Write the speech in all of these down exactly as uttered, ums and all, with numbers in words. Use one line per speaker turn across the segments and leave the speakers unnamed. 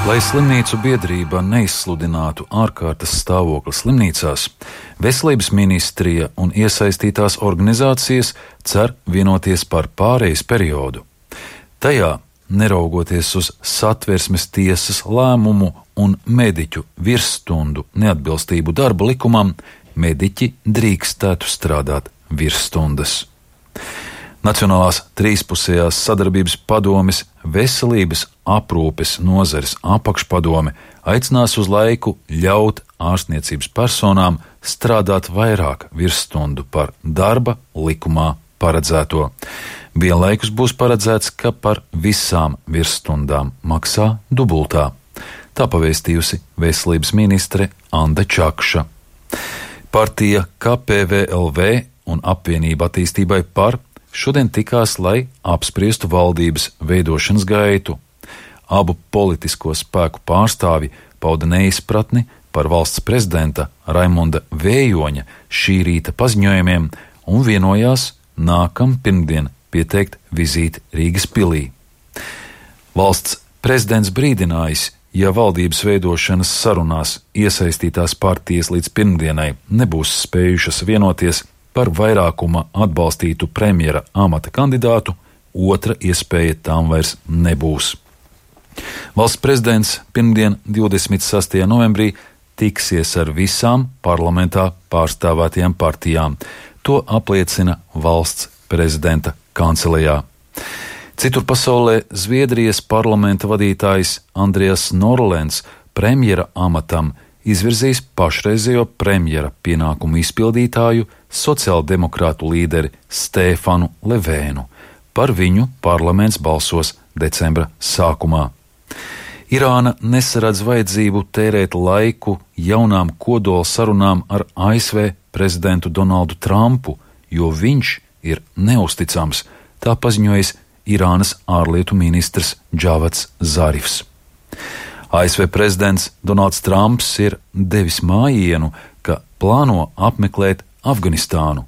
Lai slimnīcu biedrība neizsludinātu ārkārtas stāvokli slimnīcās, Veselības ministrija un iesaistītās organizācijas cer vienoties par pārejas periodu. Tajā, neraugoties uz Satversmes tiesas lēmumu un mediķu virsstundu neatbilstību darba likumam, mediķi drīkstētu strādāt virsstundas. Nacionālās trīspusējās sadarbības padomes veselības aprūpes nozares apakšpadome aicinās uz laiku ļaut ārstniecības personām strādāt vairāk virsstundu par darba likumā paredzēto. Vienlaikus būs paredzēts, ka par visām virsstundām maksā dubultā. Tā pavēstījusi veselības ministre Anda Čakša. Partija K P V L V un Apvienība attīstībai par šodien tikās, lai apspriestu valdības veidošanas gaitu. Abu politisko spēku pārstāvji pauda neizpratni par valsts prezidenta Raimonda Vējoņa šī rīta paziņojumiem un vienojās nākam pirmdien pieteikt vizīti Rīgas pilī. Valsts prezidents brīdinājis, ja valdības veidošanas sarunās iesaistītās partijas līdz pirmdienai nebūs spējušas vienoties par vairākuma atbalstītu premjera amata kandidātu, otra iespēja tām vairs nebūs. Valsts prezidents pirmdien divdesmit sastajā novembrī tiksies ar visām parlamentā pārstāvētajām partijām. To apliecina valsts prezidenta kancelejā. Citur pasaulē Zviedrijas parlamenta vadītājs Andrijas Norlens premjera amatam izvirzīs pašreizējo premjera pienākumu izpildītāju sociāldemokrātu līderi Stefanu Levēnu. Par viņu parlaments balsos decembra sākumā. Irāna nesaredz vajadzību tērēt laiku jaunām kodola sarunām ar A S V prezidentu Donaldu Trumpu, jo viņš ir neusticams, tā paziņojis Irānas ārlietu ministrs Džavads Zarifs. A S V prezidents Donalds Trumps ir devis mājienu, ka plāno apmeklēt Afganistānu.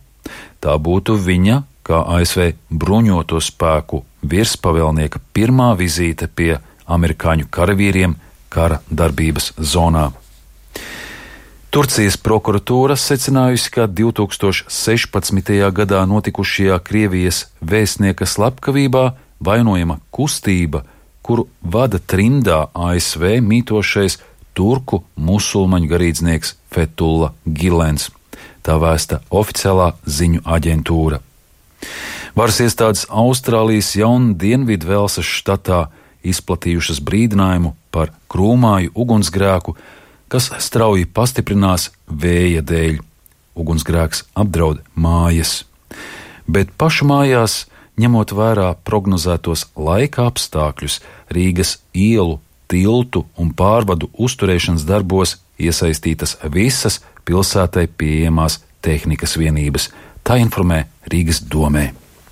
Tā būtu viņa, kā A S V bruņoto spēku virspavēlnieka pirmā vizīte pie amerikāņu karavīriem kara darbības zonā. Turcijas prokuratūra secinājusi, ka divtūkstoš sešpadsmitajā gadā notikušajā Krievijas vēstnieka slepkavībā vainojama kustība, kuru vada trimdā A S V mītošais turku musulmaņu garīdznieks Fethulla Gilens. Tā vēsta oficiālā ziņu aģentūra. Varas iestādes Austrālijas jaun Dienvidvelsas štatā izplatījušas brīdinājumu par krūmāju ugunsgrēku, kas strauji pastiprinās vēja dēļ. Ugunsgrēks apdraud mājas. Bet pašu mājās, ņemot vērā prognozētos laika apstākļus, Rīgas ielu, tiltu un pārvadu uzturēšanas darbos iesaistītas visas pilsētai pieejamās tehnikas vienības. Tā informē Rīgas domē.